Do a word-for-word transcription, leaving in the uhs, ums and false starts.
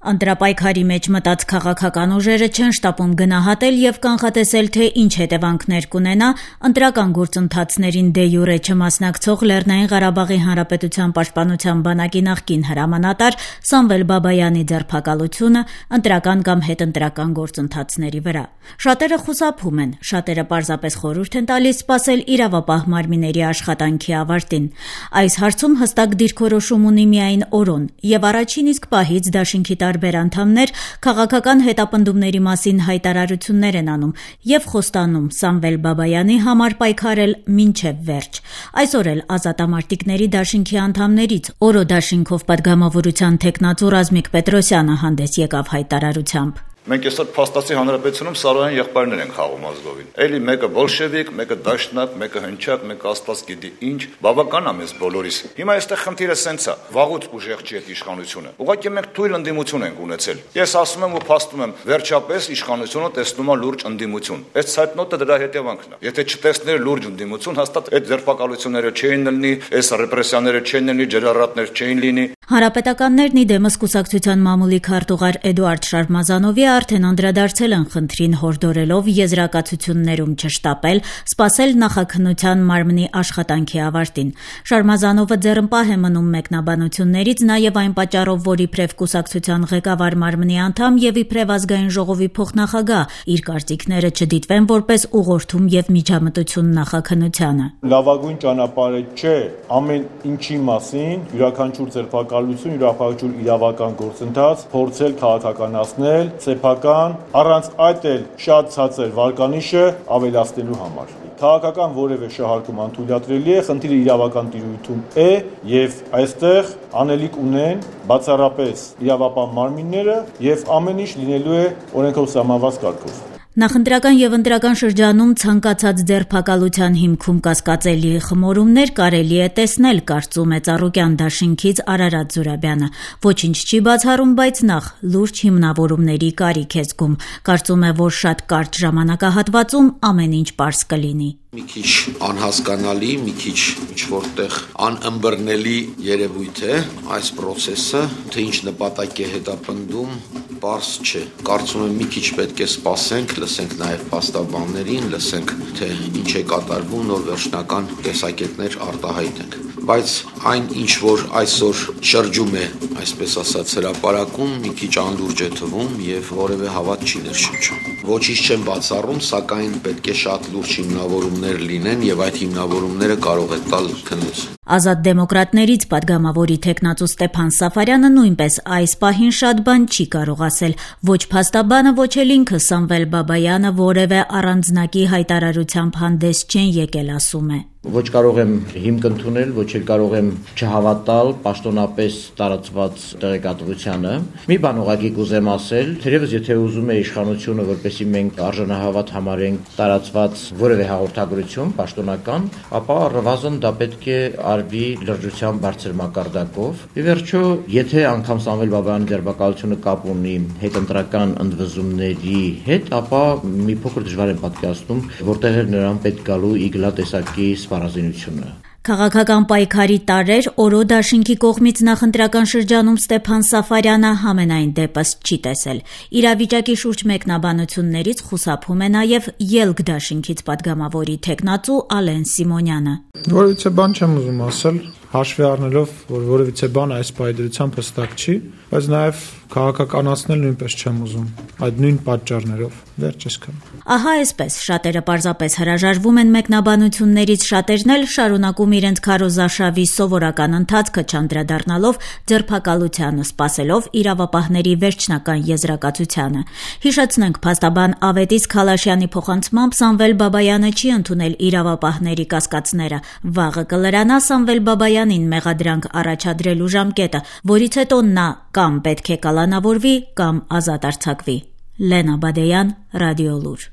Ընտրապայքարի մեջ մտած քաղաքական ուժերը չեն շտապում գնահատել եւ կանխատեսել, թե ինչ հետեւանքներ կունենա ընտրական գործընթացներին դե յուրե չմասնակցող Լեռնային Ղարաբաղի Հանրապետության պաշտպանության բանակի նախկին հրամանատար Սամվել Բաբայանի ձերբակալությունը ընտրական կամ հետընտրական գործընթացների վրա։ Շատերը խուսափում են, շատերը պարզապես խորհուրդ են տալիս սպասել իրավապահ մարմինների աշխատանքի ավարտին։ Այս հարցում հստակ դիրքորոշում ունի միայն օրոն, եւ առաջին իսկ պահից դաշինքի տարբեր անդամներ քաղաքական հետապնդումների մասին հայտարարություններ են անում եւ խոստանում Սամվել Բաբայանի համար պայքարել մինչեւ վերջ։ Այսօր էլ ազատամարտիկների դաշինքի անդամներից օրո դաշինքով պատգամավորության թեկնածու Ռազմիկ Պետրոսյանը հանդես եկավ հայտարարությամբ։ Մենք այսօր փաստացի հանրապետությունում Սարոյան եղբայրներ են խաղում ազգովին։ Էլի մեկը բոլշևիկ, մեկը դաշնակ, մեկը հնչակ, մեկը աստված գիտի ինչ, բավական է մեզ բոլորիս։ Հիմա այստեղ խնդիրը սենց է, վաղուց ուժեղ չի այդ իշխանությունը։ Ուղղակի մենք թույլ ընդդիմություն ենք ունեցել։ Ես ասում եմ ու փաստում եմ, վերջապես իշխանությունը տեսնում է լուրջ ընդդիմություն։ Այս ցայտնոտը դրա հետևանքն է։ Եթե չտեսներ լուրջ ընդդիմություն, հաստատ այդ ձերբակալությունները չէին լինի, այս ռեպրեսիաները չէին լինի, ջրառատներ չէին լինի։ Հանրապետականներն ի դեմս կուսակցության մամուլի քարտուղար Էդուարդ Շարմազանովի արդեն անդրադարձել են խնդրին, հորդորելով եզրակացություններում չշտապել, սպասել նախաքննության մարմնի աշխատանքի ավարտին։ Շարմազանովը ձեռնպահ է մնում մեկնաբանություններից նաև այն պատճառով, որ իբրև կուսակցության ղեկավար մարմնի անդամ եւ իբրև ազգային ժողովի փոխնախագահ իր կարծիքները չդիտվեն որպես ուղղորդում եւ միջամտություն նախաքննությանը։ Լավագույն ճանապարհը չէ ամեն ինչի մասին յուրաքանչյուր ձերբակալություն, յուրաքանչյուր իրավական գործընթաց փորձել քաղաքականացնել, սեփական, առանց այդ էլ շատ ցածր վարկանիշը ավելացնելու համար։ Քաղաքական որևէ շահարկում անթույլատրելի է, խնդիրը իրավական տիրույթում է եւ այստեղ անելիք ունեն բացառապես իրավապահ մարմինները եւ ամեն ինչ լինելու է օրենքով սահմանված կարգով։ Նախընտրական եւ ընտրական շրջանում ցանկացած ձերբակալության հիմքում կասկածելի խմորումներ կարելի է տեսնել, կարծում է Ծառուկյան դաշինքից Արարատ Զուրաբյանը։ Ոչինչ չի բացառում, բայց նախ լուրջ հիմնավորումների կարիք է զգում։ Կարծում է, որ շատ կարճ ժամանակահատվածում ամեն ինչ պարզ կլինի։ Մի քիչ անհասկանալի, մի քիչ ինչ-որտեղ անըմբռնելի երևույթ է այս process-ը, թե ինչ նպատակ է հետապնդում, պարզ չէ։ Կարծում եմ մի քիչ պետք է սպասենք, լսենք նաև փաստաբաններին, լսենք, թե ինչ է կատարվում, նոր վերջնական տեսակետներ արտահայտենք։ Բայց այն ինչ որ այսօր շրջում է, այսպես ասած, հրապարակում, մի քիչ անլուրջ է թվում եւ որևէ հավատ չի ներշնչում։ Ոչինչ չեմ բացառում, սակայն պետք է շատ լուրջ հիմնավորումներ լինեն եւ այդ հիմնավորումները կարող է տալ քննություն։ Ազատ դեմոկրատներից պատգամավորի թեկնածու Ստեփան Սաֆարյանը նույնպես այս պահին շատ բան չի կարող ասել։ Ոչ փաստաբանը, ոչ էլ ինքը Սամվել Բաբայանը որևէ առանձնակի հայտարարությամբ հանդես չեն եկել, ասում է։ Ոչ կարող եմ հիմք ընդունել, ոչ էլ կարող եմ չհավատալ պաշտոնապես տարածված տեղեկատվությանը։ Մի բան ուղղակի կուզեմ ասել, թերևս եթե ուզում է իշխանությունը, որպեսզի մենք արժանահավատ համարենք տարածված որևէ հաղորդագրություն պաշտոնական, ապա առնվազն դա պետք է արվի լրջության բարձր մակարդակով։ Ի վերջո, եթե անգամ Սամվել Բաբայանի ձերբակալությունը կապ ունի հետընտրական ընդվզումների հետ, ապա մի փոքր դժվար եմ պատկերացնում, որտեղ էր նրան պետք գալու իգլա տեսակի սպառազինությունը։ Քաղաքական պայքարի տարեր օրո դաշինքի կողմից նախընտրական շրջանում Ստեփան Սաֆարյանը համենայն դեպս չի տեսել։ Իրավիճակի շուրջ մեկնաբանություններից խուսափում է նաև Ելք դաշինքից պատգամավորի թեկնածու Ալեն Սիմոնյանը։ Որևիցե բան չեմ ուզում ասել, հաշվի առնելով, որ որևիցե բան այս պայդրությամբ հստակ չի, բայց նաև քաղաքականացնել նույնպես չեմ ուզում, այդ նույն պատճառներով, վերջ այսքան։ Ահա այսպես, շատերը պարզապես հրաժարվում են մեկնաբանություններից, շատերն էլ շարունակում իրենց քարոզարշավի սովորական ընթացքը չանդրադառնալով ձերբակալությանը, սպասելով իրավապահների վերջնական եզրակացությանը։ Հիշեցնենք, փաստաբան Ավետիս Քալաշյանի փոխանցմամբ Սամվել Բաբայանը չի ընդունել իրավապահների կասկածները։ Վաղը կլրանա Սամվել Բաբայանին մեղադրանք առաջադրելու ժամկետը, որից հետո նա կամ պետք է կալանավորվի, կամ ազատ արձակվի։ Լենա Բադեյան, Ռադիոլուր։